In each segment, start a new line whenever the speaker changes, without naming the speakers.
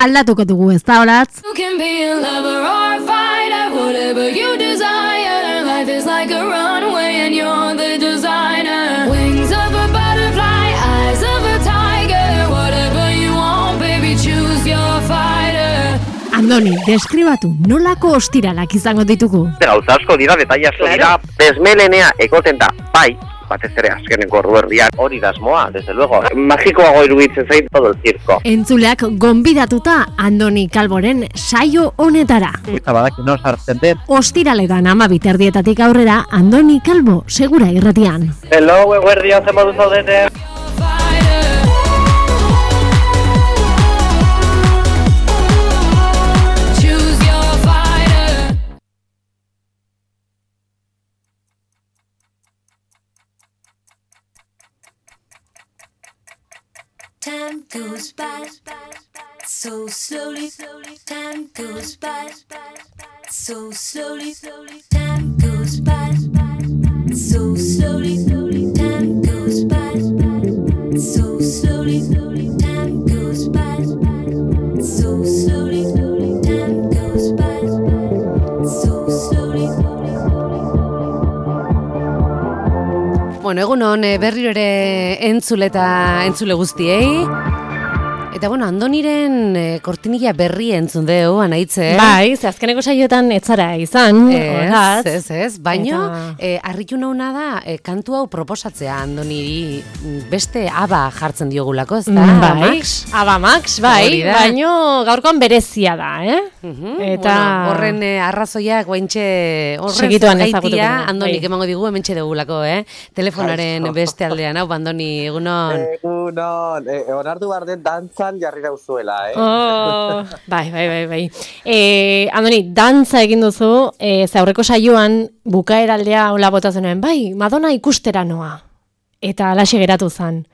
Aldatuko dugu, ez da, Olatz?
You can be a lover or a fighter, whatever you desire. Life is like a runway and you're the designer. Wings of a butterfly, eyes of a tiger. Whatever you want, baby, choose your fighter.
Andoni, deskribatu nolako ostiralak izango ditugu.
Gauza asko dira, detaile asko dira, bezmelenea egoten da, bai, batez ere azkeneko orduerdian hori da asmoa, desde luego. Magikoago iruditzen zait todo el circo.
Entzuleak gonbidatuta Andoni Calvoren saio honetara.
Eta badaki no sartzen den.
Ostiraletan 12:00 aurrera Andoni Calvo segura irratian.
Hello, eguerdian zen modu zaudete.
Choose your fighter. Time goes by so slowly. Time goes by so slowly. Time goes by so slowly. Time goes by so slowly. Time goes by so slowly. Time goes by so slowly.
Bueno, egunon berriro ere entzule guztiei. Eta bueno, Andoniren kortinilla berri entzun deu, anaitze.
Bai, ze azkeneko saioetan etzara izan.
Ez, baino, harritu nauna da, kantu hau proposatzea Andoniri beste aba jartzen diogulako, ez da?
Bai, Aba Max, bai, baino gaurkoan berezia da, Eta
bueno, horren arrazoiak guaintxe
segituan ezagutuko.
Andonik emango digu hementxe dugulako, Telefonaren beste aldean, hau, Andoni, egunon.
Egunon, onartu behar den dantzan jarri dauzuela,
Oh, bai. Andoni, dantza egin duzu, ze aurreko saioan bukaeraldea hola bota zenuen, bai, Madonna ikustera noa. Eta alaxe geratu zen.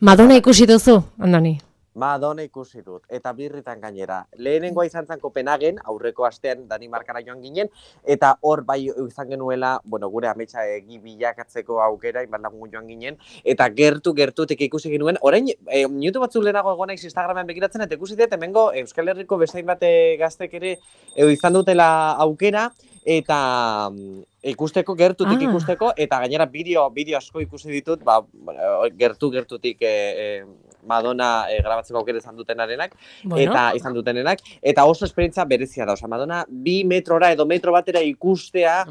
Madonna ikusi duzu, Andoni?
Madonna ikusi dut, eta birritan gainera. Lehenengoa izan zen Kopenhagen, aurreko astean Danimarkara joan ginen, eta hor bai izan genuela, gure ametsa bilakatzeko aukera, inbat lagun joan ginen, eta gertutik ikusi genuen. Orain, minutu batzuk lehenago egon naiz Instagramen begiratzen, eta ikusi dut, hemengo Euskal Herriko bezain bate gaztek ere izan dutela aukera, eta ikusteko, gertutik ikusteko, eta gainera bideo asko ikusi ditut, gertutik Madonna grabatzeko aukera izan dutenarenak, izan dutenenak, eta oso esperientzia berezia da. Madonna 2 metrora edo metro batera ikustea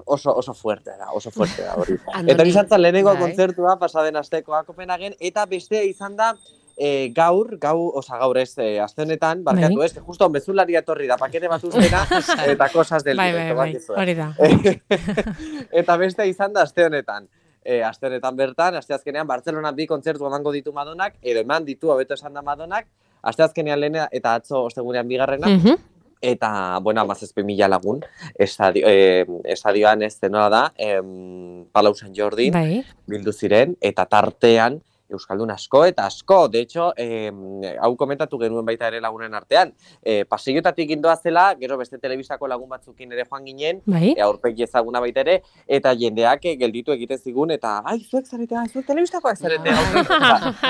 oso fuerte da hori. Eta izan zen lehenengo kontzertua pasaden astekoa Kopenhagen, eta bestea izan da gaur ez, aste honetan, barkatu ez, justo bezularia etorri da, pakete bat ustena, eta cosas del directo.
Hori da.
Eta bestea izan da aste honetan. Aste honetan bertan, asteazkenean Bartzelonan 2 kontzertu emango ditu Madonnak, edo eman ditu, hobeto esan da Madonnak, asteazkenean lehena eta atzo ostegunean bigarrena, eta, 17.000 lagun, estadioan ez denora da, Palau Sant Jordi, bildu ziren, eta tartean, Euskaldun asko eta asko, de hecho, hau komentatu genuen baita ere lagunen artean, paseiotatik gindoa zela, gero beste telebistako lagun batzukin ere joan ginen, aurpegi ezaguna baita ere, eta jendeak gelditu egiten zigun, eta, zuek zaretea, zuek telebistakoak zaretea,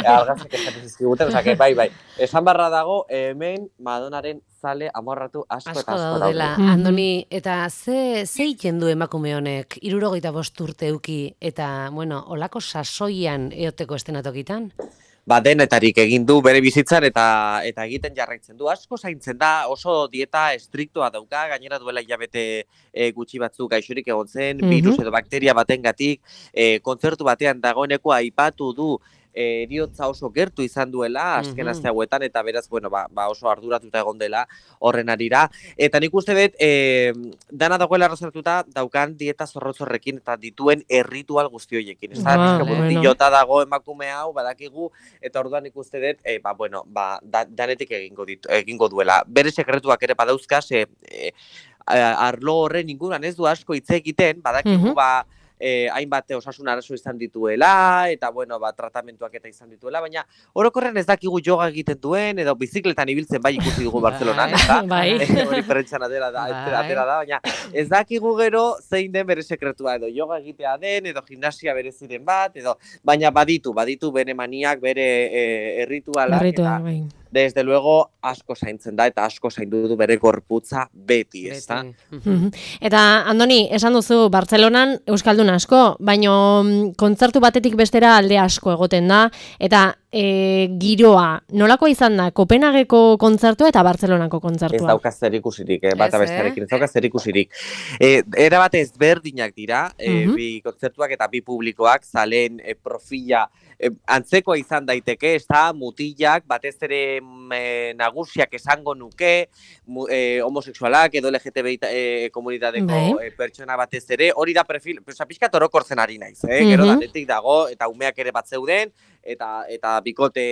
argazek esaten zizkiguten, bai, esan barra dago, hemen Madonnaren zale amorratu asko eta asko
daudela. Andoni, eta ze egiten du emakume honek, 75 urte euki, eta, olako sasoian eoteko estenatokitan?
Denetarik egin du bere bizitzan eta egiten jarraitzen du. Asko zaintzen da, oso dieta estriktoa dauka, gainera duela hilabete gutxi batzuk gaixorik egon zen, virus edo bakteria batengatik, kontzertu batean dagoeneko aipatu du eriotza oso gertu izan duela, azken aste hauetan, eta beraz, oso arduratuta egon dela horren arira. Eta nik uste dut, dana dagoela arrazartuta daukan dieta zorrotzorrekin eta dituen erritual guzti horiekin. Ez da, dilota dago emakume hau, badakigu, eta orduan nik uste dut, danetik egingo duela. Bere sekretuak ere badauzka, arlo horren inguruan ez du asko hitz egiten, badakigu, hainbat osasun arazo izan dituela, eta bueno, tratamentuak eta izan dituela, baina orokorren ez dakigu yoga egiten duen, edo bizikletan ibiltzen bai ikusi dugu Bartzelonan, eta hori prentxan atera da, baina ez dakigu gero zein den bere sekretua, edo yoga egitea den, edo gimnasia bereziren bat, edo baina baditu bere maniak, bere erritualak, eta desde luego asko zaintzen da, eta asko zaindu du bere gorputza beti, ez da?
Eta, Andoni, esan duzu, Bartzelonan euskaldun asko, baino kontzertu batetik bestera alde asko egoten da, eta giroa, nolakoa izan da, Kopenhageko kontzertua eta Bartzelonako kontzertua?
Ez dauka zer ikusirik, bata bestearekin, ez dauka zer ikusirik. Era bat ezberdinak dira, bi kontzertuak eta bi publikoak, zaleen profila antzekoa izan daiteke, ez da, mutilak, batez ere nagusiak esango nuke, homosexualak edo LGTBI komunitateko pertsona batez ere, hori da perfil, pixkat orokortzen ari naiz, gero danetik dago, eta umeak ere bat zeuden, eta bikote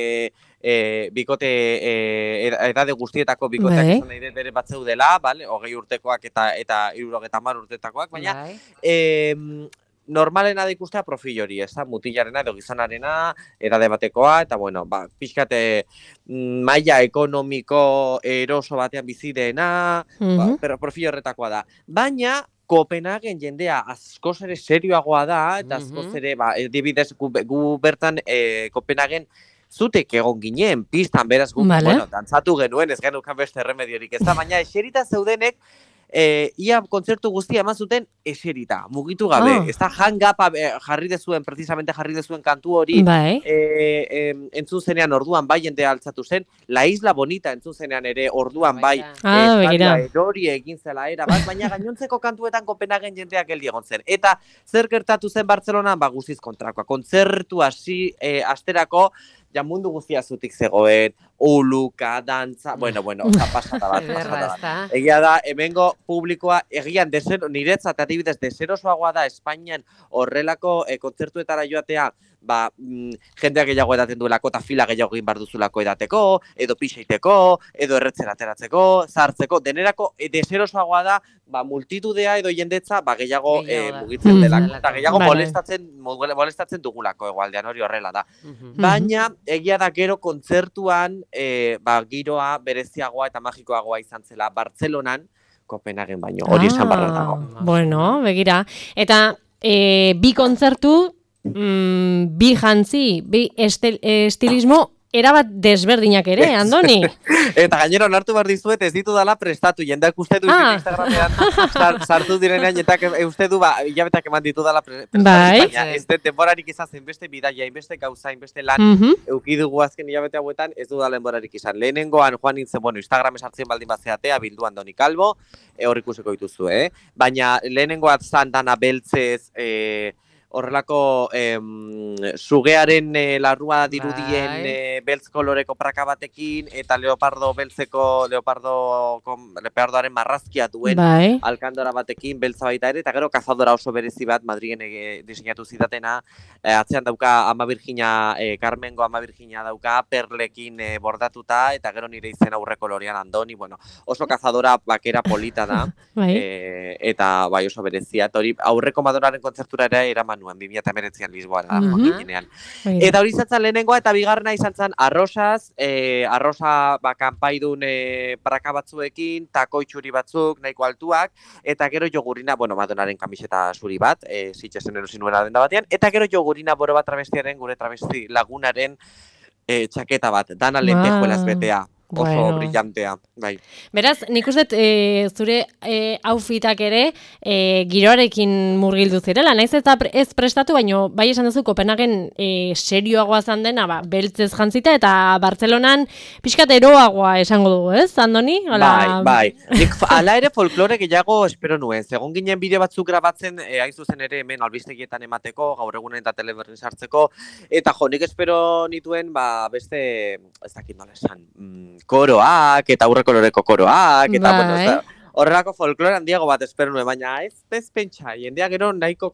edade guztietako bikoteak izan nahi bere bat zeudela, 20 urtekoak eta 70 urtetakoak, baina normalena da ikustea profil hori, ez da, mutilarena edo gizonarena, edade batekoa, eta bueno, pixkate maila ekonomiko eroso batean bizideena, pero profil horretakoa da. Baina, Kopenhagen jendea askoz ere serioagoa da, eta askoz ere, dibidez, gu bertan Kopenhagen zutek egon ginen, pistan beraz gu, bueno, dantzatu genuen, ez genukan beste remediorik, ez da, baina eserita zeudenek, ia kontzertu guztia eman zuten eserita, mugitu gabe. Ez da hang-up precisamente jarri dezuen kantu hori, entzun zenean orduan bai jendea altzatu zen, La Isla Bonita entzun zenean ere orduan bai, erori egin zela era bat, baina gainontzeko kantuetan Kopenhagen jendeak geldi egon zen. Eta zer gertatu zen Bartzelonan, guztiz kontrakoa. Kontzertu asterako, mundu guztia zutik zegoen, uluka, dantza, bueno, pasata bat. Egia da, hemengo publikoa, egian, niretzat, adibidez, deserosoagoa da Espainian horrelako kontzertuetara joatea, jendeak gehiago edaten duelako eta fila gehiago egin behar duzulako edateko, edo pixeiteko, edo erretzen ateratzeko, zartzeko, denerako deserosoagoa da, multitudea edo jendetza gehiago mugitzen delako, eta gehiago molestatzen dugulako egualdean, hori horrela da. Baina, egia da gero kontzertuan, giroa bereziagoa eta magikoagoa izan zela Bartzelonan, Kopenhagen baino, hori esan barra dago.
Bueno, begira. Eta bi kontzertu, bi jantzi, bi estilismo, erabat desberdinak ere, Andoni.
Eta gainera onartu behar dizuet, ez ditu dala prestatu, jendeak uste du Instagramean sartu direnean, jendeak uste du, hilabetak eman ditu dala prestatu, baina ez den denborarik izan zen beste bidaia, inbeste gauza, inbeste lan, eukidugu azken hilabete hauetan, ez du dala denborarik izan. Lehenengoan joan nintzen, Instagram esartzen baldin bazeatea, bildu Andoni Calvo, hor ikusiko dituzu, baina lehenengoat Santana Beltzez, horrelako sugearen larrua dirudien beltz koloreko praka batekin, eta leopardoaren marrazkia duen alkandora batekin beltza baita ere, eta gero kazadora oso berezi bat Madrilen diseinatu zitatena, atzean dauka Ama Virginia, Carmengo Ama Virginia dauka, perlekin bordatuta, eta gero nire izen aurre kolorean Andoni, oso kazadora bakera polita da, eta oso berezia, eta hori aurreko Madonaren kontzertura ere eraman nuen, 2019an Lisboara ginean. Eta hori zatzen lehenengoa, eta bigarrena izan zen Arrosaz, Arrosa kanpaidun praka batzuekin, tako itxuri batzuk, nahiko altuak, eta gero jogurina, Madonaren kamiseta zuri bat, Sitxesen erosi nuena denda batean, eta gero jogurina boro bat travestiaren, gure travesti lagunaren txaketa bat, dana lentejuelaz betea. Oso brillantea, bai.
Beraz, nik uste zure outfitak ere giroarekin murgildu zirela, naiz eta ez prestatu, baino bai esan duzu Kopenhagen serioagoa zan dena, beltzez jantzita, eta Bartzelonan pixkat eroagoa esango dugu, ez, Andoni?
Bai. Nik ala ere folklore gehiago espero nuen, segun ginen bideo batzuk grabatzen, hain zuzen ere hemen albistegietan emateko, gaur egunen eta teleberrin sartzeko, eta nik espero nituen, beste, ez dakit nola esan, koroak, eta aurre koloreko koroak, eta horrelako folklore handiago bat espero nuen, baina ez pentsa, jendea gero nahiko,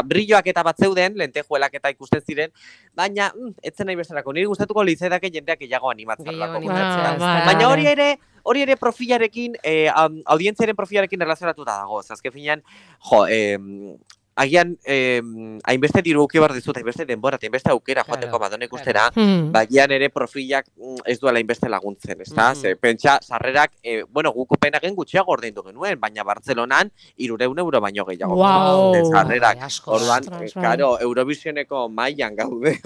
brilloak eta bat zeuden, lentejuelak eta ikusten ziren, baina etzen nahi besterako, niri gustatuko litzedake jendeak gehiago animatzen. Baina hori ere profilarekin, audientziaren profilarekin relazionatuta dago, azken finean, agian hainbeste diru uki behar dizut, hainbeste denbora, hainbeste aukera joateko Madonna ikustera, bagian ere profilak ez duela hainbeste laguntzen, ezta? Ze, pentsa, sarrerak, bueno, guk Kopenhagen gutxiago ordaindu genuen, baina Bartzelonan 300 euro baino gehiago.
Wow.
Sarrerak,
asko.
orduan,
Ostras, bai.
karo, Eurovisioneko mailan gaude.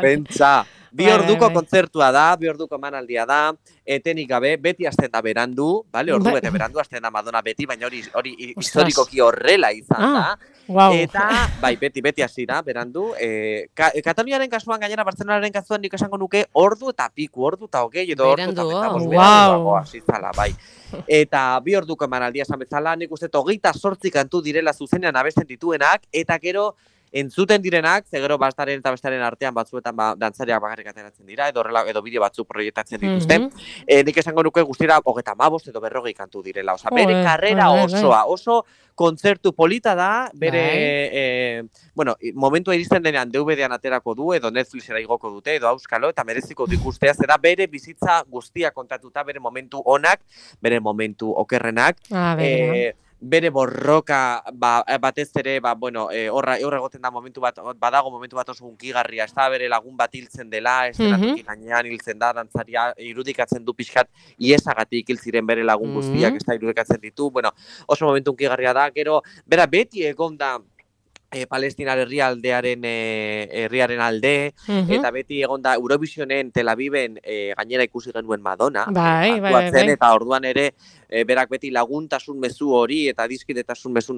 Pentsa, bi orduko kontzertua da, bi orduko emanaldia da, etenik gabe, beti hasten da berandu, vale? Ordu bete berandu hasten da Madonna beti, baina hori historikoki horrela izan da.
Wow.
Eta, bai, beti hasi da, berandu. Kataluniaren kasuan, gainera Bartzelonaren kasuan nik esango nuke ordu eta piku, ordu eta hogei, edo ordu eta
Berandu,
wow.
hasi zala, bai. Eta bi orduko emanaldia esan bezala, nik uste 28 kantu direla zuzenean abesten dituenak, eta gero entzuten direnak, ze gero bastaren eta bestaren artean batzuetan dantzariak bakarrik ateratzen dira, edo bideo batzuk proiektatzen dituzte. Nik esango nuke guztira 35 edo 40 kantu direla. Osa, bere karrera osoa, oso kontzertu polita da, bere, bueno, momentua iristen denean DVD-an aterako du, edo Netflixera igoko dute, edo auskalo, eta mereziko du ikustea, zera bere bizitza guztia kontatuta, bere momentu onak, bere momentu okerrenak, bere borroka batez ere, bueno, horra egoten da badago momentu bat oso hunkigarria, ez da bere lagun bat hiltzen dela, ez dela gainean hiltzen da, dantzaria irudikatzen du pixkat, iesagatik hil ziren bere lagun guztiak, ez da irudikatzen ditu, bueno, oso momentu hunkigarria da, gero, bera beti egon da, Palestinar herriaren alde, eta beti egon da Eurovisionen Tel Aviven gainera ikusi genuen Madonna,
bai.
Eta orduan ere berak beti laguntasun mezu hori eta dizkidetasun mezu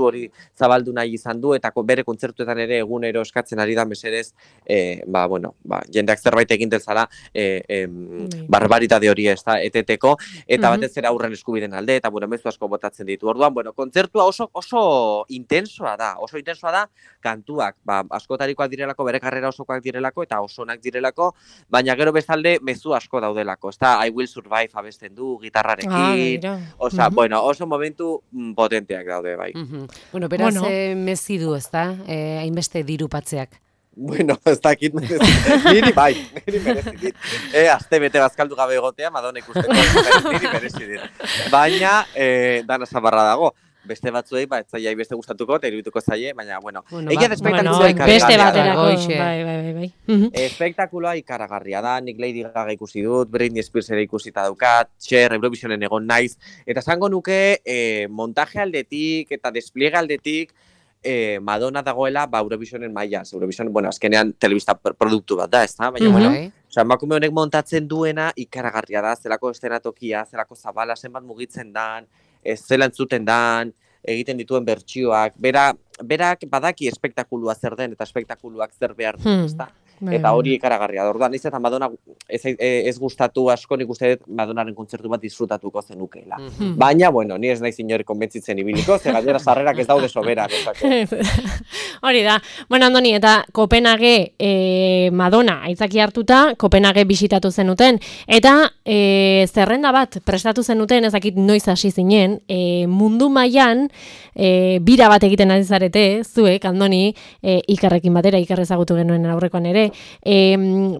hori zabaldu nahi izan du, eta bere kontzertuetan ere egunero eskatzen ari da mesedez, jendeak zerbait egin dezala barbaritate hori ez da eteteko, eta batez ere aurren eskubideen alde, eta mezu asko botatzen ditu. Orduan, kontzertua oso intensoa da, kantuak, askotarikoak direlako, bere karrera osokoak direlako, eta oso onak direlako, baina gero bestalde mezu asko daudelako, ez da, I Will Survive abesten du, gitarrarekin, oso momentu potenteak daude, bai.
Bueno, beraz, mezi du, ez da, hainbeste dirupatzeak.
Bueno, ez dakit, niri merezi dit. Azte bete bazkaldu gabe egotea, Madonna ikusteko, niri merezi dit. Baina, dana zabarra dago. Beste batzuei, ez zaiai beste gustatuko, eta irudituko zaie, baina, egia espektakuloa
ikaragarria.
Espektakuloa ikaragarria da, nik Lady Gaga ikusi dut, Britney Spears ere ikusita daukat, Cher, Eurovisionen egon naiz, eta zango nuke montaje aldetik eta despliege aldetik Madonna dagoela Eurovisionen mailaz. Eurovision, azkenean telebista produktu bat da, ez da? Baina, emakume honek montatzen duena ikaragarria da, zelako estenatokia, zelako zabala, zenbat mugitzen dan, zela entzuten dan, egiten dituen bertsioak, berak badaki espektakulua zer den eta espektakuluak zer behar du, ezta? Eta hori ikaragarria da. Orduan, eta Madonna ez gustatu asko, nik uste dut Madonnaren kontzertu bat disfrutatuko zenukela. Baina, ni ez naiz inori konbentzitzen ibiliko, ze gainera sarrerak ez daude soberak.
Hori da. Andoni, eta Kopenhage Madonna aitzaki hartuta, Kopenhage bisitatu zenuten, eta zerrenda bat prestatu zenuten, ezakit noiz hasi zinen, mundu mailan bira bat egiten ari zarete, zuek, Andoni, Ikerrekin batera, Iker ezagutu genuen aurrekoan ere,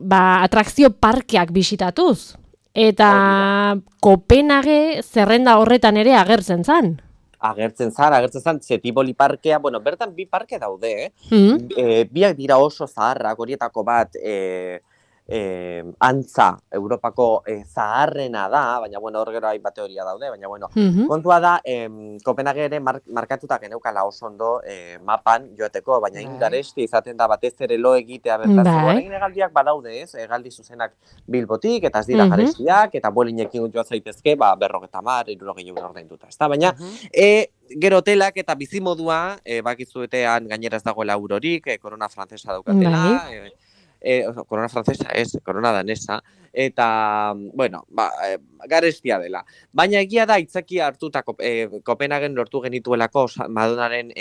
atrakzio parkeak bisitatuz. Eta Kopenhage zerrenda horretan ere agertzen zan.
Agertzen zan, Tivoli parkea, bertan bi parke daude, biak dira oso zaharrak, horietako bat antza Europako zaharrena da, baina hor gero hainbat teoria daude, baina kontua da, Kopenhage ere markatuta geneukala oso ondo mapan joateko, baina ingaresti izaten da batez ere lo egitea bertatzeko. Egin hegaldiak badaude, ez? Hegaldi zuzenak Bilbotik, eta ez dira garestiak, eta bolinekin joa zaitezke, 50, 60 euro ordainduta, ez da? Baina, gero hotelak eta bizimodua, bakizuetean gainera ez dagoela eurorik, korona frantzesa daukatela, korona frantzesa ez, korona danesa, eta, garestia dela. Baina egia da, itzaki hartuta Kopenhagen lortu genituelako Madonnaren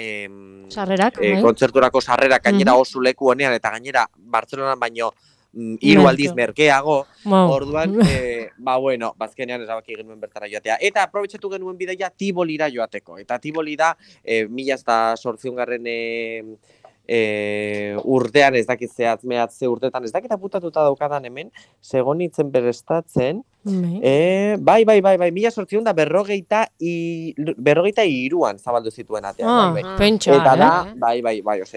kontzerturako sarrerak gainera oso leku honean, eta gainera Bartzelonan baino 3 aldiz merkeago, orduan, bazkenean erabaki genuen bertara joatea. Eta aprobetxatu genuen bidaia Tivolira joateko. Eta Tivoli da, 1800 urtean ez dakit zehatz mehatze urtetan, ez dakit aputatuta daukadan hemen, segonitzen berestatzen, bai, 1853an zabaldu zituen atean, bai.
Pentsa,
Eta da, bai,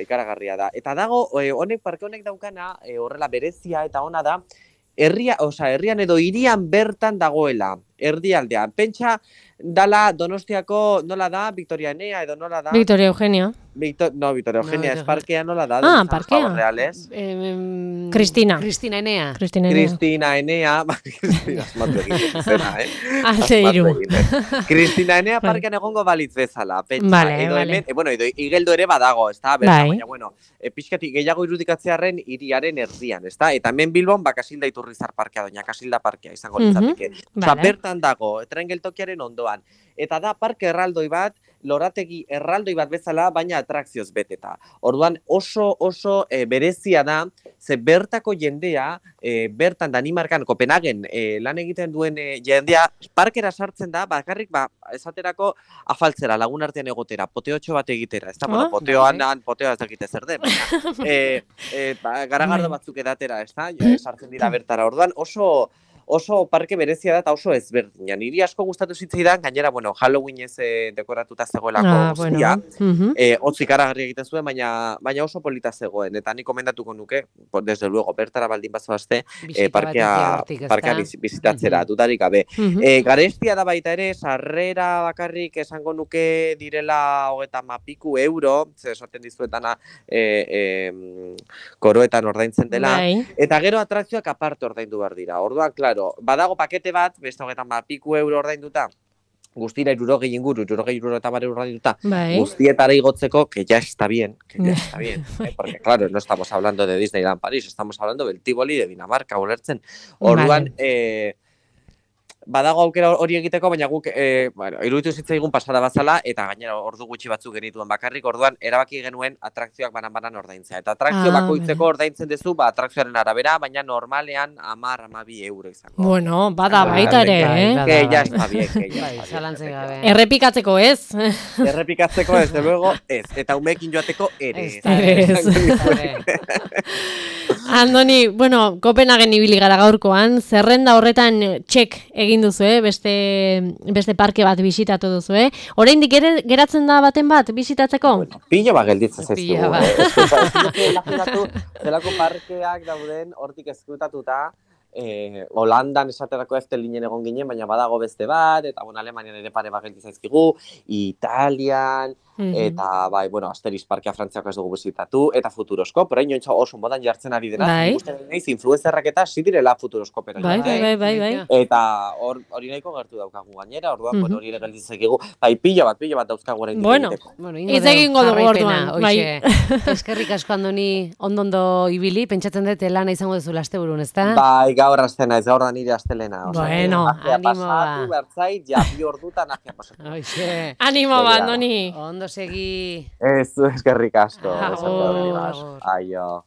ikaragarria da. Eta dago, parke honek daukana, horrela berezia eta ona da, herrian edo hirian bertan dagoela, erdialdean. Pentsa, dala Donostiako, nola da, Victoria Enea, edo nola da?
Victoria Eugenia.
Victoria Eugenia, ez parkea nola da?
Parkea. Cristina.
Cristina Enea.
Cristina Enea, Cristina, esmatu egiten zena,
Alde iru.
Cristina Enea parkean egongo balitz bezala, pentsa. Edo hemen, edo Igeldo ere badago, ez da? Baina, pixkati gehiago irudikatzearen hiriaren erdian, ez da? Eta hemen Bilbon, Kasilda Iturrizar parkea, doña Kasilda parkea izango litzateke. Osa, bertan dago, tren geltokiaren ondoan. Eta da parke erraldoi bat, lorategi erraldoi bat bezala, baina atrakzioz beteta. Orduan oso berezia da, ze bertako jendea, bertan Danimarkan, Kopenhagen lan egiten duen jendea, parkera sartzen da, bakarrik, esaterako afaltzera, lagun artean egotera, poteotxo bat egitera, ez da, poteoa ez dakite zer den, garagardo batzuk edatera, ez da, sartzen dira bertara. Orduan oso parke berezia da eta oso ezberdina. Niri asko gustatu zitzaidan, gainera, Halloweenez dekoratuta zegoelako guztia. Hotz ikaragarri egiten zuen, baina oso polita zegoen. Eta nik komendatuko nuke, desde luego, bertara baldin bazoazte, parkea bizitatzera, dudarik gabe. Garestia da baita ere, sarrera bakarrik esango nuke direla 30 euro, ze esaten dizuetana koroetan ordaintzen dela. Eta gero atrakzioak aparte ordaindu behar dira. Orduan, claro, badago pakete bat, beste 30 euro ordainduta, guztira 60 inguru, 60 ordainduta, guztietara igotzeko, que ya está bien, porque claro, no estamos hablando de Disneyland París, estamos hablando del Tivoli de Dinamarca, ulertzen. Orduan, badago aukera hori egiteko, baina guk iruditu zitzaigun pasada bazala, eta gainera ordu gutxi batzuk genituen bakarrik, orduan erabaki genuen atrakzioak banan ordaintzea. Eta atrakzio bakoitzeko ordaintzen duzu, atrakzioaren arabera, baina normalean 10-12 euro izango.
Bueno, bada baita ere,
Que ya está bien,
Errepikatzeko ez?
Errepikatzeko ez, de luego ez. Eta umeekin joateko ere.
Andoni, Kopenhagen ibili gara gaurkoan, zerrenda horretan txek egin duzu, beste parke bat bisitatu duzu, Oraindik geratzen da baten bat bisitatzeko?
Pilo bat gelditzen zaizu. Imaginatu, zelako parkeak dauden hortik eskrutatuta, Holandan esaterako Eftelinen egon ginen, baina badago beste bat, eta Alemanian ere pare bat gelditzen zaizkigu, Italian, eta Asterix parkea Frantziako ez dugu bizitatu, eta Futuroskop, orain oso modan jartzen ari dena, ikusten nahiz influenzerrak eta zidirela Futuroskopera.
Bai.
Eta hori nahiko gertu daukagu gainera, orduan hori ere gelditzen zaizkigu, pilo bat dauzkagu orain egiteko.
Ez egingo dugu orduan.
Eskerrik asko, Andoni, ondo ibili, pentsatzen dut lana izango duzu asteburun, ezta?
Bai, gaur astena, ez gaur da nire astelena.
Bueno,
animo ba. Bertzait, ja, 2 ordutan ajea pasatu.
Animo ba, Andoni.
Ondo segi.
Ez, eskerrik asko.
Agur.
Aio.